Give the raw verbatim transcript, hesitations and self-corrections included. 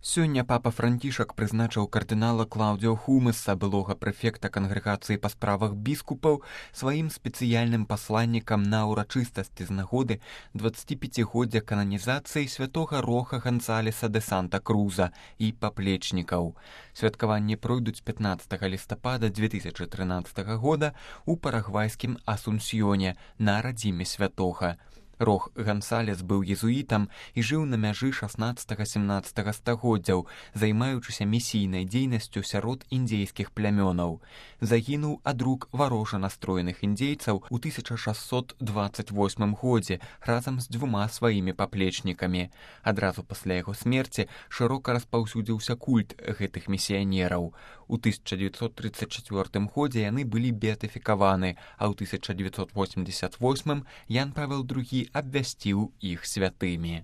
Сёння папа Францішак прызначыў кардынала Клаўдзіо Хумеса, былога прэфекта кангрэгацыі па справах біскупаў, сваім спецыяльным пасланнікам на ўрачыстасці з нагоды дваццаціпяцігоддзя кананізацыі святога Роха Гансалеса де Санта-Круза і паплечнікаў. Святкаванні пройдуць пятнаццатага лістапада дзве тысячы трынаццатага года ў парагвайскім Асунсьёне на радзіме святога. Рох Гансалес быў езуітам і жыў на мяжы шаснаццатага-семнаццатага стагоддзяў, займаючыся місійнай дзейнасцю сярод індзейскіх плямёнаў. Загінуў ад рук варожа настроеных індзейцаў у тысяча шасцьсот дваццаць восьмым годзе разам з дзвюма сваімі паплечнікамі. Адразу пасля яго смерці шырока распаўсюдзіўся культ гэтых місіянераў. У тысяча дзевяцьсот трыццаць чацвёртым годзе яны былі беатыфікаваны, а ў тысяча дзевяцьсот восемьдесят восьмым Ян Павел другі абвясціў іх святымі.